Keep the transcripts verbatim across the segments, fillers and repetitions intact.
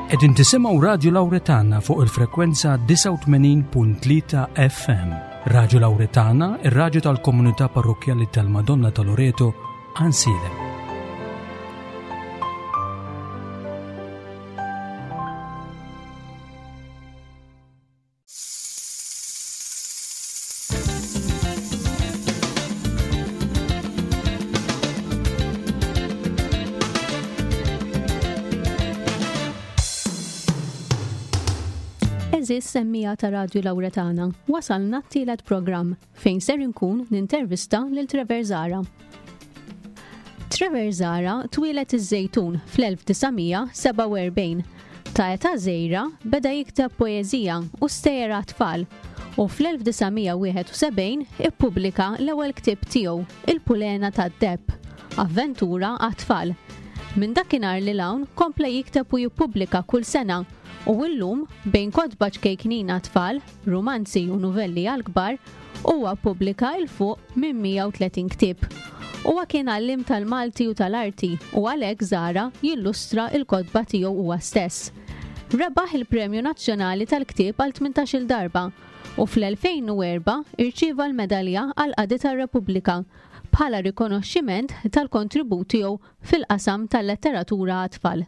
Qegħdin tisimgħu Radju Lawretana fuq il-frekwenza disgħa u tmenin punt tlieta F M. Radju Lawretana, ir-radju tal-Komunità Parrokkjali tal-Madonna ta' Loreto, Għajnsielem. Għeżież semmiegħa ta' Radju Lawretana, wasalna t-tielet programm fejn ser inkun nintervista lil Trevor Zahra. Trevor Zahra twieled iż-Żejtun fl-elf disa' mija sebgħa u erbgħin. Ta' età żgħira beda jikteb poeżija u stejjer tfal u fl-elf disa' mija wieħed u sebgħin ippubblika l-ewwel ktieb tiegħu, Il-Pulena tad-Deheb, avventura għat-tfal. Minn dakinhar lil hawn kompla jikteb u jippubblika kull sena u illum, bejn kotba ċkejknin tfal, rumanzi u novelli għal-kbar, huwa ppubblika 'l fuq minn mija u tletin ktieb. Huwa kien għalliem tal-Malti u tal-Arti u għalhekk Zahra jillustra il-kotba tiegħu huwa stess. Rebaħ il-Premju Nazzjonali tal-Ktieb għal tmintax-il darba u fl-elfejn u erbgħa irċieva l-Medalja għal Qadi tar-Repubblika bħala rikonoxximent tal-kontribut tiegħu fil-qasam tal-letteratura għat-tfal.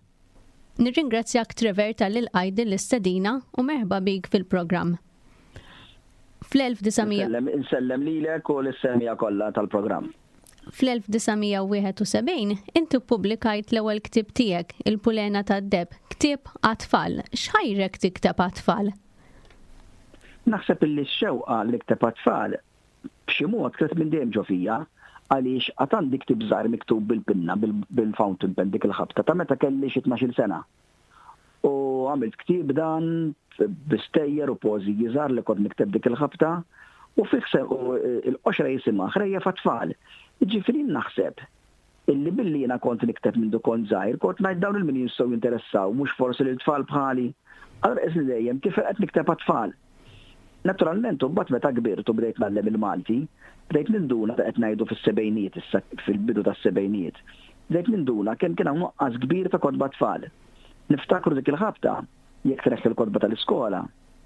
Nirringrazzjak, Trevor, talli lqajt din l-istedina u merħba bik fil-programm. Fl-elf disa' mija Insellem lilek u lis-semmiegħa kollha tal-programm. Fl-elf disa' mija wieħed u sebgħin inti ppubblikajt l-ewwel ktieb tiegħek, Il-Pulena tad-Deheb, ktieb għat-tfal. X'ħajrek tikteb għat-tfal? Naħseb illi x-xewqa li nikteb għat-tfal b'xi mod kienet minn dejjem ġo fija, għaliex għad għandi ktieb żgħir miktub bil-pinna, bil-fountain pen dik il-ħabta ta' meta kelli xi tnax-il sena. U għamilt ktieb dan bi stejjer u poeżiji żgħar li kont nikteb dik il-ħabta u fih il-qoxra jisimha Ħrejjef għat-Tfal. Ġifieri naħseb illi billi jiena kont nikteb minn kont żgħir, kont ngħid dawn il-min jistgħu jinteressaw, mhux forsi lil tfal bħali. Allura qisni dejjem kif qed nikteb għat-tfal. Naturalment, u mbagħad meta kbirt u bdejt ngħallem il-Malti, bdejt ninduna, ta' qed ngħidu fis-sebgħinijiet, issa fil-bidu tas-sebgħinijiet, bdejt ninduna kemm kien hawn nuqqas kbir ta' kotba tfal. Niftakru dik il-ħabta, jekk treħ il-kotba tal-iskola,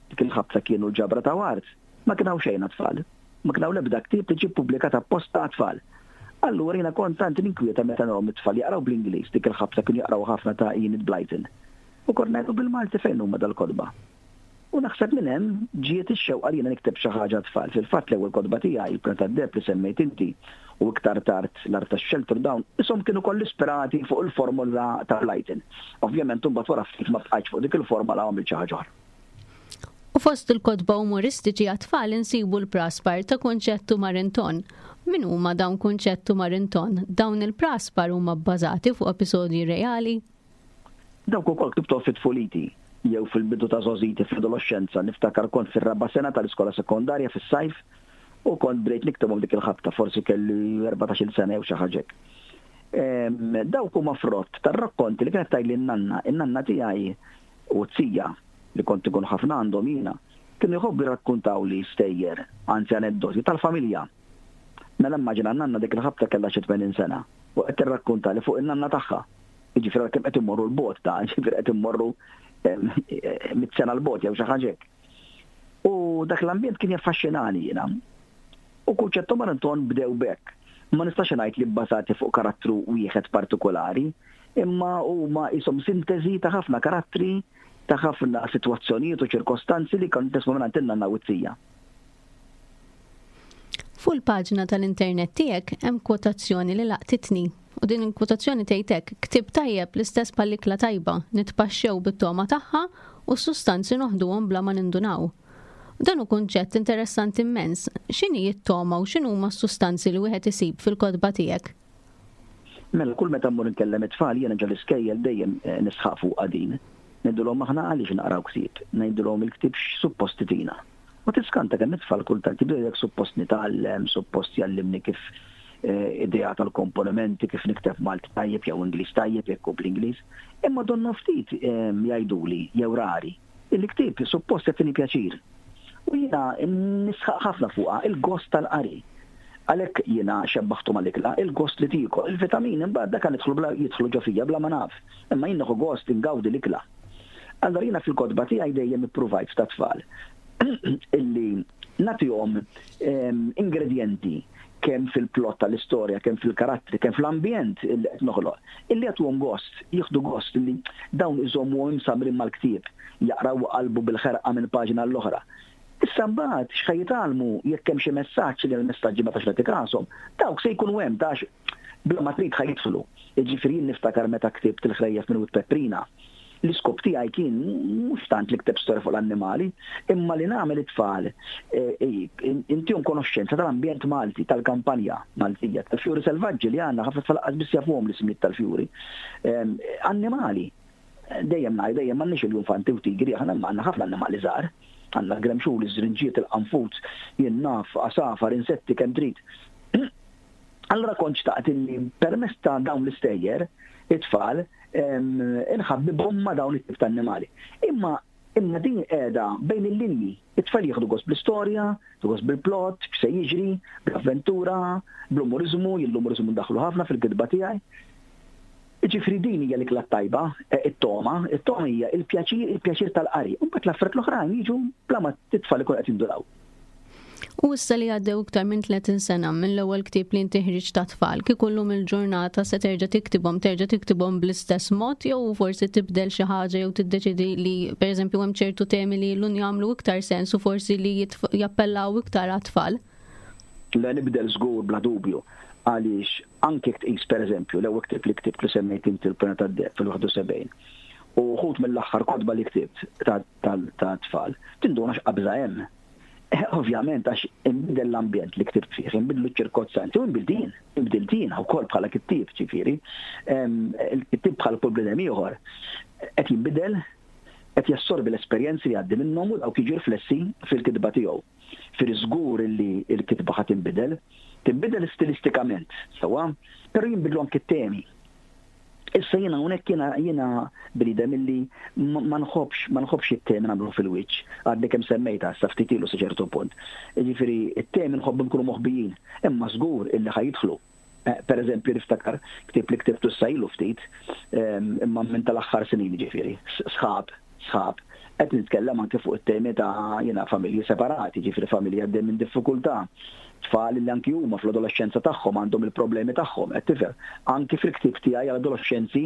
dik il-ħabta kienu l-ġabra ta' Ward, ma kien hawn xejn tfal. Ma kien hawn l-ebda ktieb li ġie ppubblikat apposta għat-tfal. Allura jiena kont tant ninkwieta meta narahom it-tfal jaqraw bl-Ingliż, dik il-ħabta kienu jaqraw ħafna ta' Enid Blyton. U kont ngħidu, bil-Malti fejn huma dal-kotba? U naħseb minn hemm ġiet ix-xewqa li jiena nikteb xi ħaġa tfal. Fil-fatt l-ewwel kotba tiegħi, Il-Pulena tad-Deheb li semmejt inti, u iktar tard L-Art tax-Xelter, dawn ishom kienu koll ispirati fuq il-formula ta' Blyton. Ovvjament imbagħad wara ftit ma bqajtx fuq dik il-formula, għamilt xi ħaġa oħra. U fost il-kotba umoristiċi għat-tfal insibu l-Praspar ta' Kunċett u Marinton. Min huma dawn Kunċett u Marinton? Dawn il-praspar huma bbażati fuq episodji reali? Dawk ukoll ktibthom fit tfuliti jew fil-bidu ta' żgħożiti, fl-adolescenza. Niftakar kont fir-raba' sena tal-iskola sekondarja fis-sajf u kont bdejt niktebhom dik il-ħabta, forsi kelli erbatax-il sena jew xi ħaġa. Dawk huma frott tar-rakkonti li kienet tgħidli n-nanna, in-nanna tiegħi u z-zija li kont ikun ħafna għandhom jiena, kienu jħobbu jirrakkuntaw li stejjer, anzi aneddoti tal-familja. Mela immaġina, n-nanna dik il-ħabta kellha xi tmenin sena u qed tirrakkunta li fuq in-nanna tagħha. Jiġifieri kemm qed immorru 'l bogħod ta' ġifieri qed immorru mitt sena 'l bogħod jew xi ħaġa. U dak l-ambjent kien jaffaxxinani jiena. U Kunċett u Marinton bdew b'hekk. Ma nistax ngħid li bbażati fuq karattru wieħed partikolari, imma huma ishom sintesi ta' ħafna karattri, ta' ħafna sitwazzjonijiet u ċirkostanzi li kont nisma' minn in-nanna u z-zija. Fuq il-paġna tal-internet tiegħek hemm kwotazzjoni li laqtitni. U din il-kwotazzjoni tgħidlek: "Ktieb tajjeb l-istess bħall-ikla tajba, nitpaxxew bit-togħma tagħha u s-sustanzi noħduhom bla ma nindunaw." Dan hu kunċett interessanti immens. X'inhi t-togħma u x'inhuma s-sustanzi li wieħed isib fil-kotba tiegħek? Mela kull meta mmur nkellem it-tfal jiena ġo l-iskejjel dejjem eh, nisħaq fuq din. Ngħidulhom, aħna għaliex naqraw ktieb? Ngħidulhom, il-ktieb x'suppost itina? U tiskanta kemm it-tfal kultant jibdew, jekk suppost nitgħallem, suppost jgħallimni kif eh, idea tal-komponimenti, kif nikteb Malti tajjeb jew Ingliż tajjeb jekk hu bl-Ingliż. Imma donnu ftit eh, jgħiduli jew rari. Il-ktieb suppost jagħtini pjaċir. U jiena nisħaq ħafna fuqha, il-gost tal-qari. Għalhekk jiena xebbaħtu mal-ikla, il-gost li tiekol, il-vitamin imbagħad dak jidħlu bla jidħlu ġo fija bla ma naf. Imma jien nieħu gost ingawdi l-ikla. Allora jiena fil-kotba tiegħi dejjem ippruvajt ta' tfal illi nagħtihom ingredienti kemm fil-plot tal-istorja, kemm fil-karattri, kemm fl-ambjent illi qed noħloq, illi jagħtuhom gost, jieħdu gost illi dawn iżommu imsamrin mal-ktieb, jaqraw qalbu bil-ħerqa minn paġna l-oħra. Issa mbagħad x'ħa jitgħallmu, jekk hemm xi messaġġ, li l-messaġġi ma tax nagħti kashom, dawk se jkunu hemm tax bla ma trid ħa jidħlu. Jiġifieri jien niftakar meta ktibt Il-Ħrejjef minn Wied Peprina. L-iskop tiegħi kien mhux tant li ktibt storja fuq l-annimali, imma li nagħmel it-tfal eh, eh, intihom konoxxenza tal-ambjent Malti, tal-kampanja Maltija, tal-fjuri selvaġġi li għandna, ħafna tfal qas biss jafuhom l-ismijiet tal-fjuri. Annimali, dejjem ngħid, dejjem m'għandniex il-iljunfanti u tigri, aħna għandna ħafna annimali żgħar. Għandna l-gremxul, iż-żrinġiet, il-qanfuz, jien naf, għasafar, insetti, kemm trid. Allora kont xtaqt illi permezz ta' dawn l-istejjer, it-tfal, inħabbibhom ma' dawn it-tip ta' annimali. Imma imma din qiegħda bejn il-linji. It-tfal jieħdu gost bl-istorja, jieħdu gost bil-plot, x'se jiġri, bl-avventura, bl-umoriżmu, jien l-umoriżmu ndaħlu ħafna fil-kitba tiegħi. Ġifieri din hija l-ikla tajba, e, it-toma, it-toma hija il-pjaċir, il-pjaċir tal-qari. U mbagħad l-affarijiet l-oħrajn jiġu bla ma t-tfal ikun qed jinduraw. U issa li għaddew iktar minn tletin sena mill-ewwel ktieb li inti ħriġt ta' tfal, kieku llum il-ġurnata se terġa' tiktibhom, terġa' tiktibhom bl-istess mod jew forsi tibdel xi ħaġa jew tiddeċidi li, pereżempju, hemm ċertu temi li llum jagħmlu iktar sens u forsi li jappellaw iktar għat-tfal? Le, nibdel żgur, bla dubju, għaliex anke tqis, pereżempju, l-ewwel ktieb li ktibt li semmejt inti, Il-Pena tad-Deheb fil-wieħed u sebgħin u wħud mill-aħħar kotba li ktibt ta' tfal, tinduna x'qabża hemm. Eh, ovvjament għax inbidel l-ambjent li ktibt fih, inbidlu ċ-ċirkostanzi u nbdilt jien, nbdilt jien ukoll bħala kittieb, ġifieri. Il-kittieb bħal kull bniedem ieħor qed jinbidel, qed jassorbi l-esperjenzi li għaddi minnhom u dawk jiġu riflessi fil-kitba tiegħu. Fir żgur li l-kitba ħa tinbidel, tinbidel stilistikament, sewwa, però jinbidlu anke t-temi. Issa jiena hawnhekk jiena jiena bniedem illi ma nħobbx ma nħobbx it-temi nagħmlu fil-wiċċ, għadni kemm semmejta sa ftit ilu sa ċertu punt. Jiġifieri it-temi nħobbhom ikunu moħbijin, imma żgur illi ħa jidħlu. Eh, per eżempju, niftakar ktieb li ktibtu ilu ftit, imma minn tal-aħħar snin, ġifieri, sħab, sħab. Qed nitkellem anke fuq it-temi ta' jiena familji separati, ġifieri familji għaddej minn diffikultà, tfal li anki huma fl-adolescenza tagħhom għandhom il-problemi tagħhom, qed tifhem. Anki fil-ktieb tiegħi għall-adolescenzi,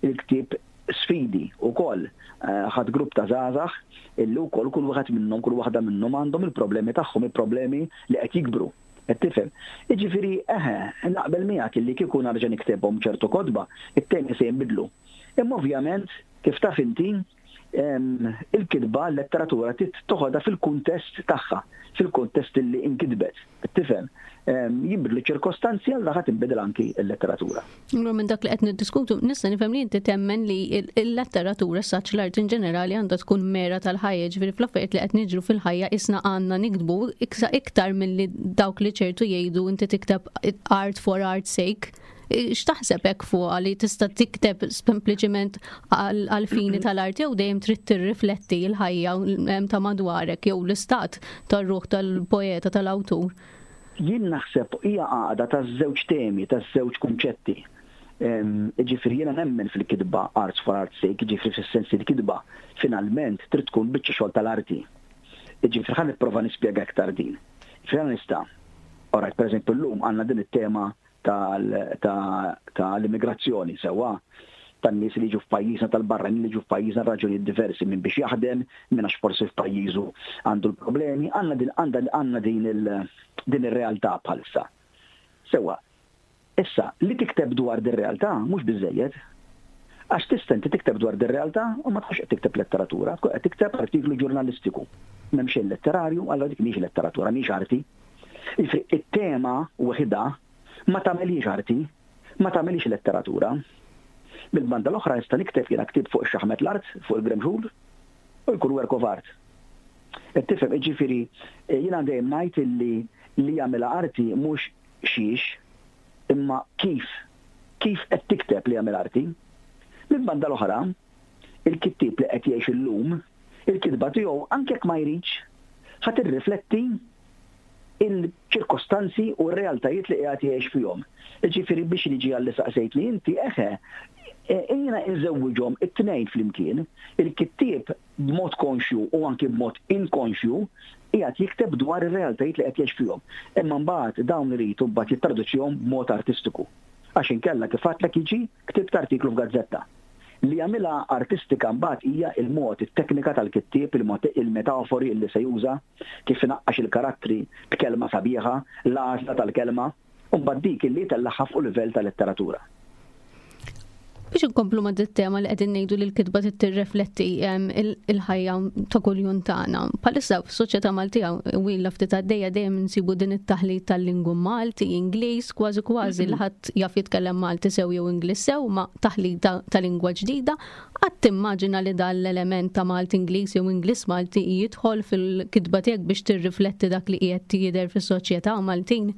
il-ktieb Sfidi ukoll, eh, ħadt grupp ta' żgħażagħ illi wkoll kull wieħed minnhom, kull waħda minnhom għandhom il-problemi tagħhom, il-problemi li qed jikbru. Qed tifhem? Jiġifieri eħe, naqbel miegħek illi kieku narġa' niktebhom ċertu kotba, it-temi se jinbidlu. Imma ovvjament, kif taf inti, il-kitba, l-letteratura toħodha fil-kuntest tagħha, fil-kuntest li inkitbet. Tifhem? Jinbidlu ċirkostanzi, għal ħa tinbidel anki l-letteratura. Allura minn dak li qed niddiskutu nista' nifhem li inti temmen li l-letteratura, saċ l-art in ġenerali, għandha tkun mera tal-ħajja, ġifieri fl-affarijiet li qed niġru fil-ħajja isna għandna nikdbu iktar milli dawk li ċertu jgħidu inti tikteb art for art sake. X'taħseb hekk fuq li tista' tikteb sempliċiment għal fini tal-arti jew dejjem trid tirrifletti l-ħajja ta' madwarek jew l-istat tar-ruħ tal-poeta, tal-awtur? Jien naħseb hija għaqda ta' żewġ temi, ta' żewġ kunċetti. Ġifieri jiena nemmen fil-kitba arts for art's sake, ġifieri fis-sens li kitba finalment trid tkun biċċa xogħol tal-arti. Ġifieri ħa nipprova nispjega aktar din. Ġifieri nista'. Alright, per eżempju, llum għandna din it-tema tal-immigrazzjoni, sewwa, tan-nies li jiġu f'pajjiżna, tal-barranin li jiġu f'pajjiżna, raġunijiet diversi, minn biex jaħdem, minn għax forsi f'pajjiżu għandu l-problemi, għandna din għandna din din ir-realtà bħalissa. Sewwa, issa li tikteb dwar din realtà mhux biżejjed. Għax tista' inti tikteb dwar din realtà u ma tkunx qed tikteb letteratura, tkun qed tikteb artiklu ġurnalistiku. M'hemm xejn letterarju, allura dik mhix letteratura, mhix arti. It-tema waħda ma tagħmelix arti, ma tagħmelix letteratura. Bil-banda l-oħra nista' nikteb jiena ktieb fuq ix-xaħmet l-art, fuq il-gremxul, u jkun work of art. Qed tifhem? Jiġifieri jiena dejjem ngħid illi li jagħmilha arti mhux xiex, imma kif kif qed tikteb li jagħmel arti. Mill-banda l-oħra, il-kittieb li qed jgħix illum, il-kitba tiegħu, anke jekk ma jridx, ħa tirrifletti il-ċirkostanzi u r-realtajiet li qiegħed jgħix fihom. Ġifieri biex niġi għalli saqsejtni inti, eħe, Jiena nżewwiġhom it-tnejn flimkien, il-kittieb b'mod konxju u anki b'mod inkonxju qiegħed jikteb dwar ir-realtajiet li qed jgħix fihom. Imma mbagħad dawn iridu mbagħad jittraduċihom b'mod artistiku. Għax inkella kif għedtlek jiġi ktibt artiklu f'gazzetta. Li jagħmilha artistika mbagħad hija il-mod, it-teknika tal-kittieb, il-metafori li se juża, kif inaqqax il-karattri b'kelma sabiħa, l-għażla tal-kelma, u mbagħad dik illi tellagħha fuq livell ta' letteratura. Biex inkomplu ma' dit-tema li qegħdin ngħidu li l-kitba tirrifletti il-ħajja ta' kuljum tagħna. Bħalissa f'soċjetà Maltija u ilha ftit għaddejja dejjem insibu din it-taħlit tal-lingwu Malti, Ingliż, kważi kważi li ħadd jaf jitkellem Malti sew jew Ingliż sew ma' taħlit ta' lingwa ġdida. Qatt timmaġina li dan l-element ta' Malti Ingliż jew Ingliż Malti jidħol fil-kitba tiegħek biex tirrifletti dak li qiegħed jidher fis-soċjetà Maltin?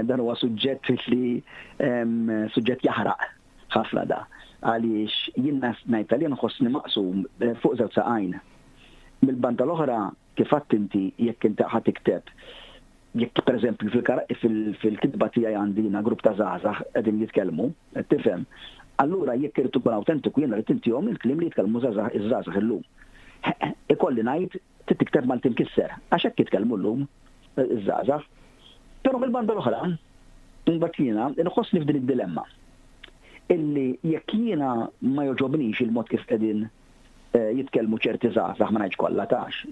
Dan huwa suġġett li suġġett jaħraq ħafna da. Għaliex jien ngħid li nħossni maqsum eh, fuq żewġ saqajn. Mill-banda l-oħra kif għedt inti jekk inti ħa tikteb jekk pereżempju fil-kitba tiegħi għandi jiena grupp ta' żgħażagħ qegħdin jitkellmu, qed tifhem. Allura jekk irid ikun awtentiku jiena rrid intihom il-kliem li jitkellmu żgħażagħ iż-żgħażagħ illum. Ikolli ngħid trid tikteb Malti mkisser, għax hekk jitkellmu llum iż-żgħażagħ. Però mill-banda l-oħra, imbagħad jiena nħossni f'din id-dilemma illi jekk jiena ma joġobnix il-mod kif qegħdin eh, jitkellmu ċerti żgħażagħ ma ngħidx kollha tax,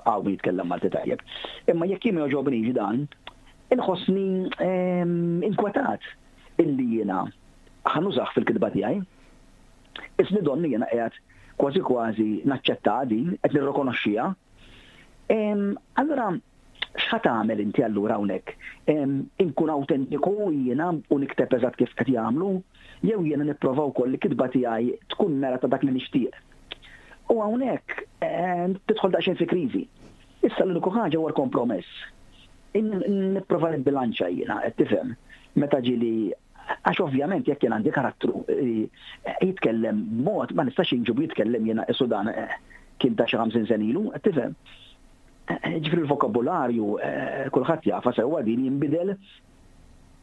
hawn min jitkellem Malti tajjeb. Imma jekk jien ma joġobnix dan, inħossni ehm, inkwetat illi jiena ħa nużah fil-kitba tiegħi. Isni donni jiena qiegħed kważi kważi naċċetta din, qed nirrikonoxxiha. Ehm, allura x'ħa tagħmel inti allura hawnhekk? Inkun awtentiku jiena u nikteb eżatt kif qed jagħmlu, jew jiena nipprova wkoll li kitba tiegħi tkun mera ta' dak li nixtieq. U hawnhekk tidħol daqsxejn fi kriżi. Issa l-uniku ħaġa huwa l-kompromess. Nipprova nibbilanċa jiena, qed tifhem, meta ġieli għax ovvjament jekk jien għandi karattru jitkellem b'mod ma nistax inġibu jitkellem jiena isu dan kien ta' xi ħamsin sena ilu, qed tifhem. Ġifieri l-vokabularju kulħadd jafa sewwa din jinbidel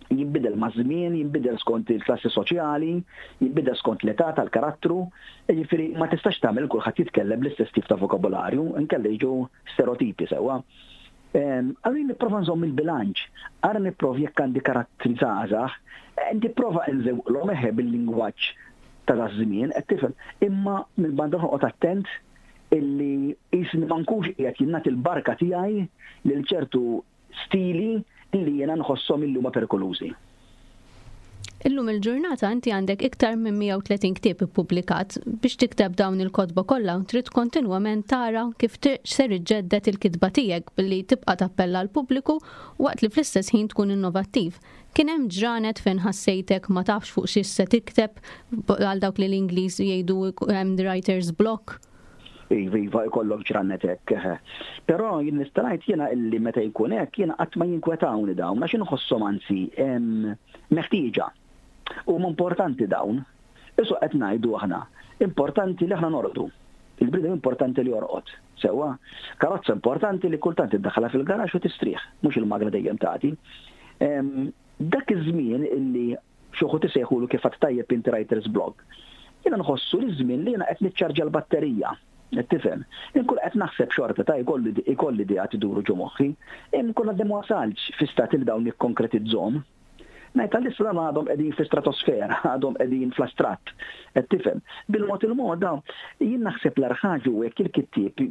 jinbidel ma' żmien, jinbidel skont il-klassi soċjali, jinbidel skont l-età tal-karattru, ġifieri ma tistax tagħmel kulħadd jitkellem bl-istess tip ta' vokabularju, inkella jiġu stereotipi sewwa. Allura nipprova nżomm il-bilanċ, ara nipprova jekk għandi karattri żgħażagħ, nipprova nżewqlhom eħe bil-lingwaġġ ta' daż-żmien, qed tifhem, imma mill-banda noqgħod attent illi jisni ma nkunx qiegħed jinnat il-barka tiegħi lil ċertu stili li jiena nħosshom illi huma perikolużi. Illum il-ġurnata inti għandek iktar minn mija u tletin ktieb ippubblikat. Biex tikteb dawn il-kotba kollha trid kontinwament tara kif ser iġġedded il-kitba tiegħek billi tibqa' tappella l pubbliku waqt li fl-istess ħin tkun innovattiv. Kien hemm ġranet fejn ħassejtek ma tafx fuq xi se tikteb għal dawk li l-Ingliż jgħidu hemm the writer's block? Iva, iva, ikollok ġranet hekk. Però jien nista' ngħid jiena illi meta jkun hekk jiena qatt ma jinkwetawni dawn għax inħosshom anzi meħtieġa. Huma importanti dawn. Isu qed ngħidu aħna, importanti li aħna norqdu. Il-bniedem importanti li jorqod. Sewwa, karozza importanti li kultant iddaħħalha fil-garax u tistrieħ, mhux il-magna dejjem tagħti. Dak iż-żmien illi xi wħud isejħulu kif għad tajjeb inti writer's block, jiena nħossu li żmien li jiena qed niċċarġa l-batterija. Qed tifhem? Inkun qed naħseb xorta ta' jkolli ikolli idea tiduru ġo moħħi, inkun għadni ma wasalx fi stat li dawn nikkonkretizzhom. Ngħid għalissa dawn għadhom qegħdin fi stratosfera, għadhom qegħdin fl-astratt. Qed tifhem? Bil-mod il-mod dawn, jien naħseb l-agħar ħaġa hu jekk il-kittieb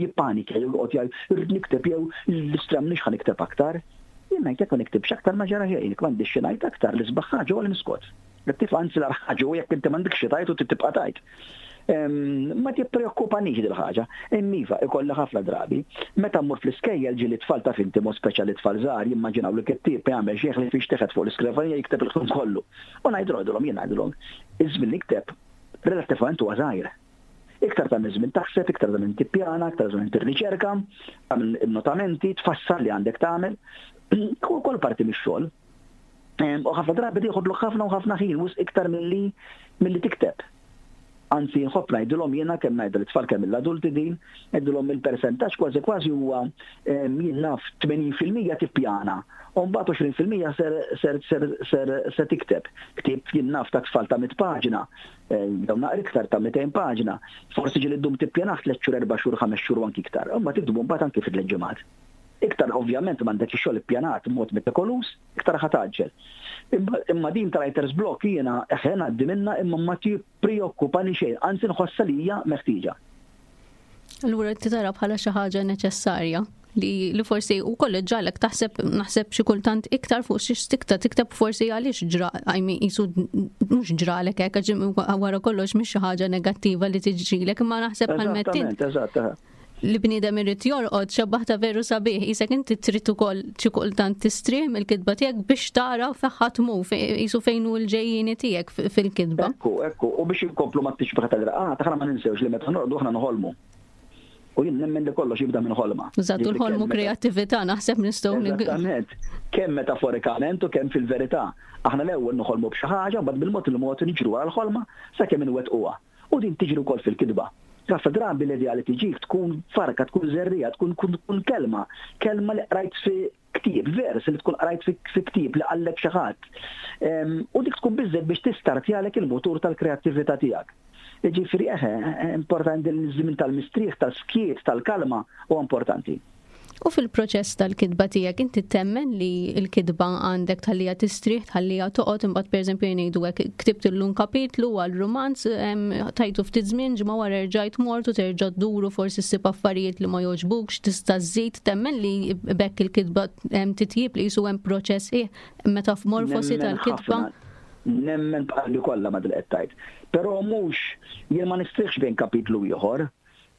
jippanika jew joqgħod jgħid irrid nikteb jew l-istram nix ħa nikteb aktar. Jien ngħid jekk ma niktibx aktar ma ġara xejn, jekk m'għandix xi ngħid aktar l-isbaħ ħaġa huwa li niskot. Qed tifhem? Anzi l-agħar ħaġa hu jekk inti m'għandekx xi tgħid u trid tibqa' tgħid. Ma tippreokkupanix dil ħaġa. Imma iva, ikolli ħafna drabi. Meta mmur fl-iskejjel ġieli tfal ta' finti mod speċjali tfal żgħar jimmaġinaw li kittieb jagħmel xi li fiex teħed fuq l-iskrivanija jikteb il-ħin kollu. U ngħidilhom jien ngħidilhom, iż-żmien li nikteb relattivament huwa żgħir. Iktar ta' żmien taħseb, iktar ta' żmien tippjana, iktar ta' żmien tirriċerka, tagħmel notamenti, tfassal li għandek tagħmel. Kull kol parti mix-xogħol. U ħafna drabi tieħodlok ħafna u ħafna ħin, wisq iktar milli milli tikteb. Anzi, nħobb ngħidilhom jiena, kemm ngħidha lit-tfal kemm l-adulti din, ngħidilhom il-persentaġġ kważi kważi huwa, jien naf, tmenin fil-mija tippjana. U mbagħad għoxrin fil-mija ser ser ser ser se tikteb. Ktieb, jien naf, ta' tfal ta' mitt paġna, jew naqra iktar, ta' mitejn paġna. Forsi ġieli ddum tippjanah tliet xhur, erba' xhur, ħames xhur u anki iktar. Imma tiktbu mbagħad anki fi tliet ġimgħat. Iktar ovvjament m'għandek ix-xogħol ippjanat mod metikoluż, iktar ħa tgħaġġel. Imma din ta' writer's block jiena eħe ngħaddi minna, imma ma tippreokkupani xejn, anzi nħossha li hija meħtieġa. Allura inti tara bħala xi ħaġa neċessarja li, li forsi u koll ġalek taħseb, naħseb, xi kultant iktar fuq xi tikta tikteb, forsi għaliex ġra, I mean, jisu mhux ġralek hekk, għax wara kollox mhix xi ħaġa negattiva li tiġrilek, imma naħseb bħal mettint Eżattament, eżatt. eħe. li bniedem irid jorqod, xebbaħta veru sabiħ, jisek inti trid ukoll xi kultant tistrieħ mill-kitba tiegħek biex tara fejn ħa tmur, jisu fejn hu l-ġejjieni tiegħek fil-kitba. Ekku, ekku, u biex inkomplu ma tixbaħ tal-raqad, aħna ma ninsewx li meta norqdu aħna noħolmu. U jien nemmen li kollox jibda minn ħolma. Eżatt, u Jiġifieri l-ħolmu kemm meta- kreattività naħseb nistgħu nig- Eżattament. Kemm metaforikament u kemm fil-verità. Aħna l-ewwel noħolmu b'xi ħaġa, mbagħad bil-mod il-mod niġru għal ħolma sakemm inwettquha. U din tiġri wkoll fil-kitba. Ħafna drabi l-idea li tiġik tkun farka, tkun żerriegħa, tkun tkun tkun kelma, kelma li qrajt fi ktieb, vers li tkun qrajt fi fi ktieb li qallek xi ħadd. Em, U dik tkun biżżejjed biex tistartjalek il-motur tal-kreattività tiegħek. Ġifieri eħe, importanti l-żmien tal-mistrieħ, tal-skiet, tal-kalma u importanti. U fil-proċess tal-kitba tiegħek, inti temmen li l-kitba għandek tħallija tistrieħ, tħallija toqgħod, imbagħad, pereżempju, jgħidu hekk, ktibt illum kapitlu għal rumanz, em, tajtu ftit żmien, ġimgħa wara rġajt mort u terġa' dduru, forsi ssib affarijiet li ma jogħġbukx, tista' żżid, temmen li b'hekk il-kitba em, titjib, li jisu hemm proċess eh, metamorfosi Nemmen tal-kitba? ħafna. Nemmen b'qalbi kollha ma dil qed tgħid. Però mhux, jien ma nistrieħx bejn kapitlu ieħor.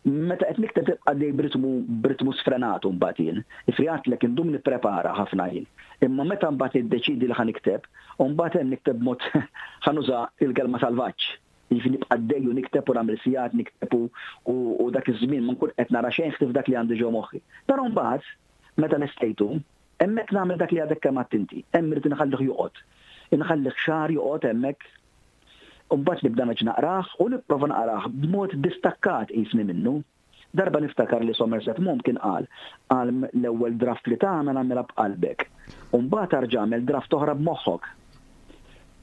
Meta qed nikteb tibqa' dej b'ritmu b'ritmu sfrenatu mbagħad jien. Ifri għedtlek indum nipprepara ħafna jien. Imma meta mbagħad iddeċidi li ħa nikteb, u mbagħad hemm nikteb mod, ħa nuża il-kelma, salvaġġ. Jiġifieri nibqa' dej u nikteb u nagħmel sigħat nikteb u- u u dak iż-żmien ma nkun qed nara xejn ħlief dak li għandi ġo moħħi. Però mbagħad meta nestejtu, hemmhekk nagħmel dak li għadek kemm għedt inti. Hemm irid inħallih joqgħod. Inħallih xahar joqgħod hemmhekk. U mbagħad nibda nerġa' naqrah u nipprova naqrah b'mod distakkat qisni minnu. Darba niftakar li Somerset Maugham kien qal qal l-ewwel draft li tagħmel għamilha b'qalbek. U mbagħad arġa' għamel draft oħra b'moħħok.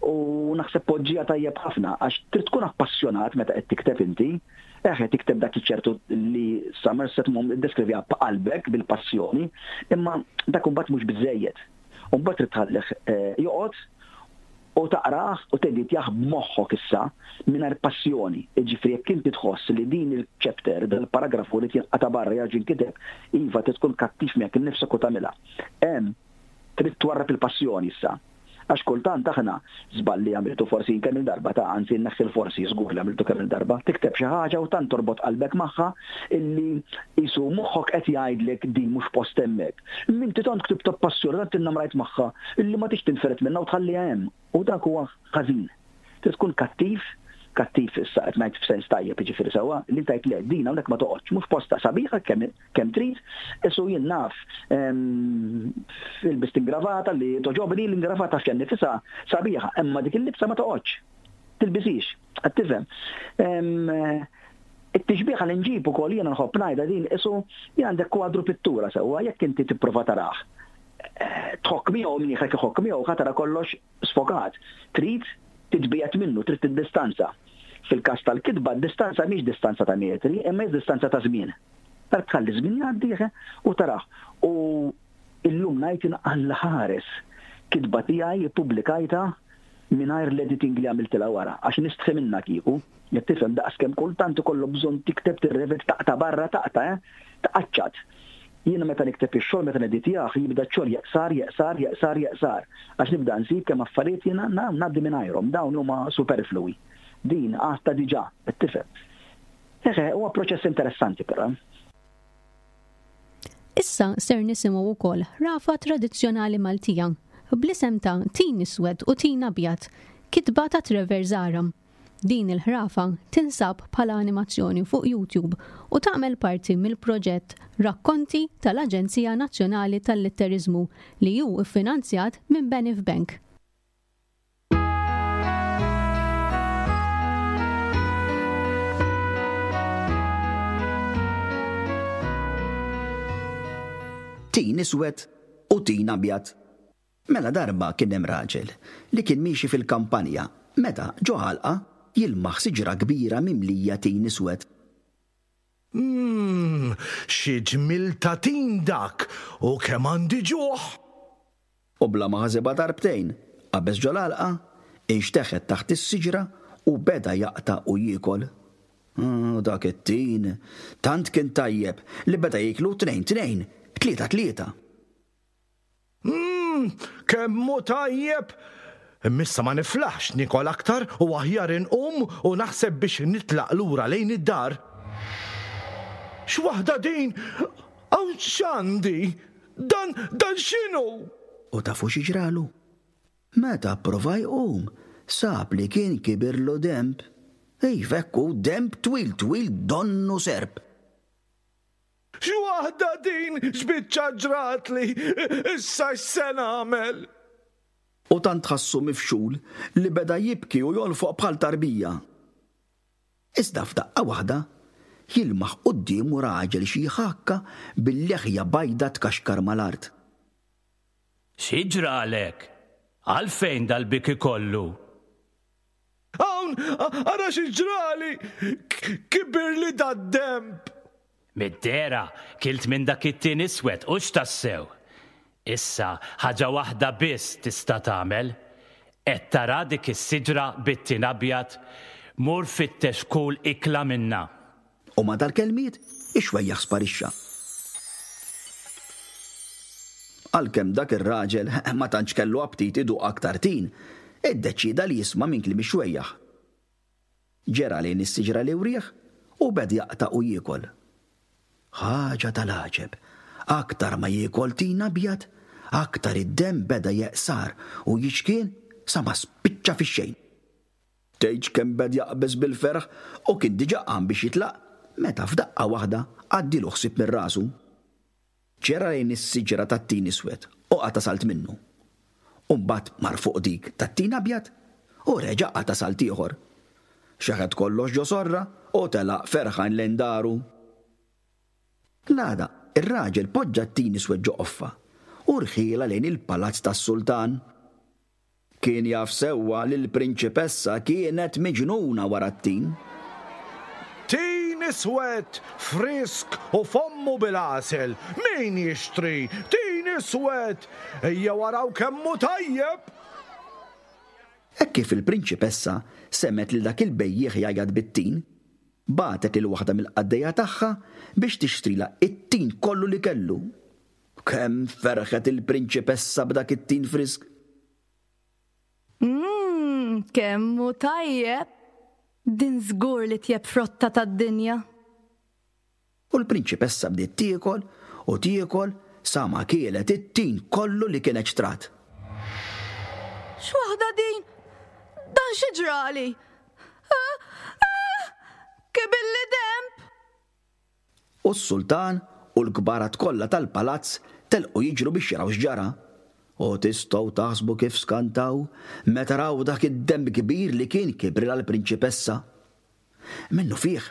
U naħseb poġġija tajjeb ħafna għax trid tkun appassjonat meta qed tikteb inti. Eħe, tikteb dak iċ-ċertu li Somerset Maugham iddeskrivja b'qalbek, bil-passjoni, imma dak imbagħad mhux biżejjed. U mbagħad trid tħallih eh, joqgħod u taqrah u teditjah b'moħħok issa mingħajr passjoni. Jiġifieri jekk inti tħoss li din il-chapter, dal-paragrafu li jinqata' barra, jerġa' jinkiteb, iva, trid tkun kattiv miegħek innifsek u tagħmilha. Hemm trid twarrab il-passjoni issa. Għax kultant aħna żball li għamiltu forsi kemm il-darba ta', anzi nneħħi l-forsi, żgur li għamiltu kemm il-darba, tikteb xi ħaġa u tant torbot qalbek magħha illi jisu moħħok qed jgħidlek din mhux post hemmhekk. Inti tant ktibt passjoni, tant innamrajt magħha illi ma tix tinferet minnha u tħalliha hemm. U dak huwa ħażin. Trid tkun kattiv, kattiv issa qed ngħid f'sens tajjeb, jiġifieri sewwa, li tgħid le, din hawnhekk ma toqgħodx, mhux posta, sabiħa kemm kemm trid, isu jien naf ilbist ingravata li toġobni, l-ingravata fija nifisha sabiħa, imma dik il-libsa ma toqgħodx. Tilbisix, qed tifhem. It-tixbiħa li nġib ukoll jiena nħobb ngħidha din, isu jien għandek kwadru pittura sewwa, jekk inti tipprova tarah, tħokk miegħu, mnieħrek iħokk miegħu, ħa tara kollox sfokat. Trid titbiegħed minnu, trid tiddistanza. Fil-każ tal-kitba, distanza mhix distanza ta' metri, imma hija distanza ta' żmien. Tar tħalli żmien jgħaddi u tarah. U illum ngħid Alla ħares kitba tiegħi ippubblikajta mingħajr l-editing li għamiltilha wara, għax nistħi minna kieku. Jekk tifhem daqs kemm kultant ikollu bżonn tikteb, tirreved, taqta' barra, taqta', eh? Taqaċċat. Jiena meta nikteb ix-xogħol, meta neditjah, jibda x-xogħol jeqsar, jeqsar, jeqsar, jeqsar. Għax nibda nsib kemm affarijiet jiena ngħaddi mingħajrhom, dawn huma superflui. Din għadta diġà, qed tifhem. Eħe, huwa proċess interessanti però. Issa ser nisimgħu wkoll ħrafa tradizzjonali Maltija bl-isem ta' Tin Iswed u Tin Abjad, kitba ta' Trevor Zahra. Din il-ħrafa tinsab bħala animazzjoni fuq YouTube u tagħmel parti mill-proġett Rakkonti tal-Aġenzija Nazzjonali tal-Litteriżmu li hu iffinanzjat minn Benif Bank. Tin iswed u tin abjad. Mela darba kien hemm raġel li kien miexi fil-kampanja meta ġo ħalqa jilmaħ siġra kbira mimlija tin iswed. Mmm, xi ġmiel ta' tin dak u kemm għandi ġuħ! U bla ma ħasibha darbtejn, qabeż ġol-għalqa, inxteħet taħt is-siġra u beda jaqta' u jiekol. U dak it-tin tant kien tajjeb li beda jieklu tnejn tnejn, tlieta tlieta. Mmm, kemm hu tajjeb! Imma issa ma niflaħx niekol aktar u aħjar inqum u naħseb biex nitlaq lura lejn id-dar. X'waħda din! Hawn x'għandi? Dan, dan x'inhu? U tafu xi ġralu? Meta pprova jqum, sab li kien kibirlu denb. Iva hekk hu, denb twil twil donnu serp. X'waħda din! X'biċċa ġratli! Issa x'se nagħmel? U tant ħassu mifxul li beda jibki u jolfoq bħal tarbija. Iżda f'daqqa waħda jilmaħ quddiemu raġel xi ħakka bil-leħja bajda tkaxkar mal-art. Xi ġralek? Għalfejn dal-biki kollu? Hawn, ara xi ġrali! Kibirli dad-denb! Mid-dehra kilt minn dak it-tin iswed u x'tassew. Issa ħaġa waħda biss tista' tagħmel. Qed tara dik is-siġra bit-tin abjad, mur fittex kull ikla minnha. U ma' dal-kelmiet ix-xwejjaħ sparixxa. Għalkemm dak ir-raġel ma tantx kellu aptit iduq aktar tin, iddeċieda li jisma' minn kliem ix-xwejjaħ. Ġera lejn is-siġra li wrieħ u beda jaqta' u jiekol. Ħaġa tal-għaġeb, aktar ma jiekol tin abjad, aktar id-demm beda jeqsar u jiċkien sa ma spiċċa fix-xejn. Tgħidx kemm beda jaqbeż bil-ferħ u kien diġà qam biex jitlaq meta f'daqqa waħda għaddilu ħsieb minn rasu. Ġera lejn is-siġra tat-tin iswed u qata' salt minnu. U mbagħad mar fuq dik tat-tin abjad u reġa' qata' salt ieħor. Xeħet kollox ġo sorra u telaq ferħan lejn daru. L-għada, ir-raġel poġġa t-tin iswed ġo qoffa u rħielha lejn il-palazz tas-sultan. Kien jaf sewwa li l-prinċipessa kienet miġnuna wara t-tin. Tin iswed, frisk u fommu bil-għasel. Min jixtri? Tin iswed! Ejja waraw kemm hu tajjeb! Hekk kif il-prinċipessa semgħet lil dak il-bejjiegħ jgħajjat bit-tin, bagħtet lil waħda mill-qaddejja tagħha biex tixtrilha it-tin kollu li kellu. Kemm ferħet il-prinċipessa b'dak it-tin frisk! Mmm, kemm hu tajjeb! Din żgur li tjeb frotta tad-dinja. U l-prinċipessa bdiet tiekol u tiekol sa ma kielet it-tin kollu li kienet xtrat. X'waħda din? Dan xi ġrali? Ah, ah, kibilli denb! U s-sultan u l-kbarat kollha tal-palazz telqu jiġru biex jaraw x'ġara. U tistgħu taħsbu kif skantaw meta raw dak id-denb kbir li kien kibrilha l-prinċipessa. Minnu fih,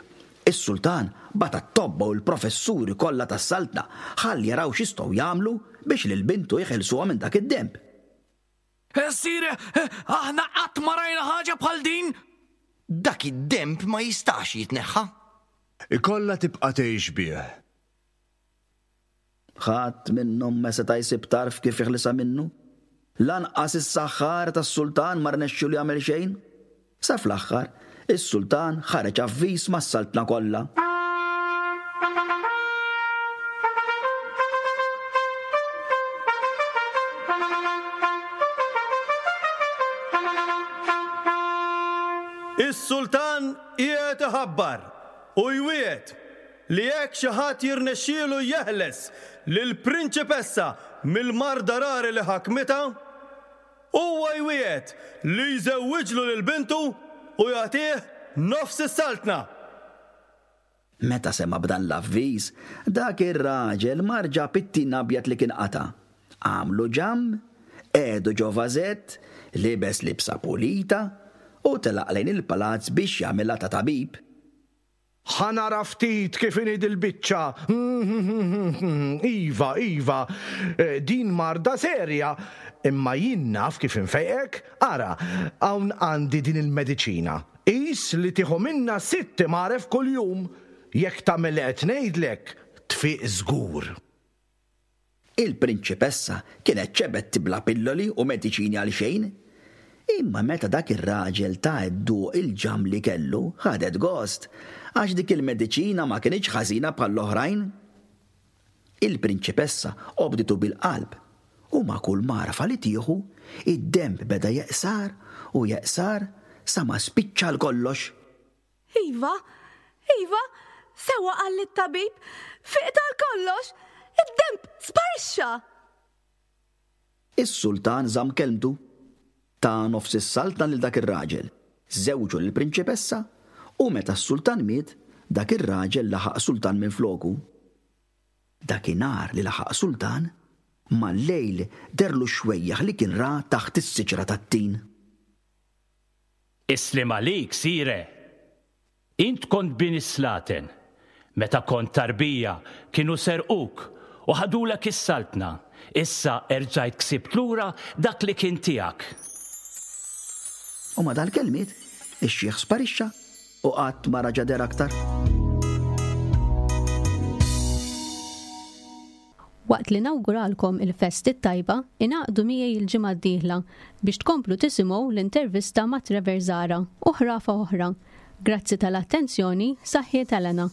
is-sultan bagħat t-tobba u l-professuri kollha tas-saltna ħalli jaraw x'jistgħu jagħmlu biex lil bintu jeħilsuha minn dak id-denb. Sire, aħna qatt ma rajna ħaġa bħal din! Dak id-denb ma jistax jitneħħa. Ikollha tibqa' tgħix bih. Ħadd minnhom ma seta' jsib tarf kif jeħlisha minnu. Lanqas is-saħħar tas-sultan ma rnexxielu jagħmel xejn. Sa fl-aħħar, is-sultan ħareġ avviż mas-saltna kollha. Is-sultan qiegħed iħabbar u jwiegħed li jekk xi ħadd jirnexxielu jeħles lill-prinċipessa mill-marda rari li ħakmitha, huwa jwiegħed li jżewwiġlu lil bintu u jagħtih nofs is-saltna. Meta sema' b'dan l-avviż, dak ir-raġel mar ġab it-tin abjad li kien qata'. Għamlu ġamm, qiegħdu ġo vażett, libes libsa pulita u telaq lejn il-palazz biex jagħmilha ta' tabib. Ħa nara ftit kif inhi dil-biċċa. Iva, iva, din marda serja. Imma jien naf kif infejqek. Ara, hawn għandi din il-mediċina. Qis li tieħu minnha sitt imgħaref kuljum. Jekk tagħmel li qed ngħidlek, tfiq żgur. Il-prinċipessa kienet xebgħet tibla' pilloli u mediċini għal xejn. Imma meta dak ir-raġel ta dduq il-ġamm li kellu, ħadet gost, għax dik il-mediċina ma kinitx ħażina bħall-oħrajn. Il-prinċipessa obditu bil-qalb u ma' kull mgħarfa li tieħu, id-denb beda jeqsar u jeqsar sa ma spiċċa għal kollox. Iva, iva, sewwa qalli t-tabib, fiqt għal kollox, id-denb sparixxa! Is-sultan żamm kelmtu. Ta nofs is-saltna lil dak ir-raġel, żewġu lill-prinċipessa u meta s-sultan miet, dak ir-raġel laħaq sultan minfloku. Dakinhar li laħaq sultan, mal-lejl dehrlu x-xwejjaħ li kien ra taħt is-siġra tat-tin. Is-sliem għalik, sire! Int kont bin is-slaten. Meta kont tarbija, kienu serquk u ħadulek is-saltna. Issa erġajt ksibt lura dak li kien tiegħek. U ma' dal-kelmiet, ix-xiħ sparixxa u qatt ma raġa' deher aktar. Waqt li nawguralkom il-festi t-tajba, ingħaqdu miegħi il-ġimgħa d-dieħla biex tkomplu tisimgħu l-intervista ma' Trevor Zahra u ħrafa oħra. Grazzi tal-attenzjoni, saħħiet Elena.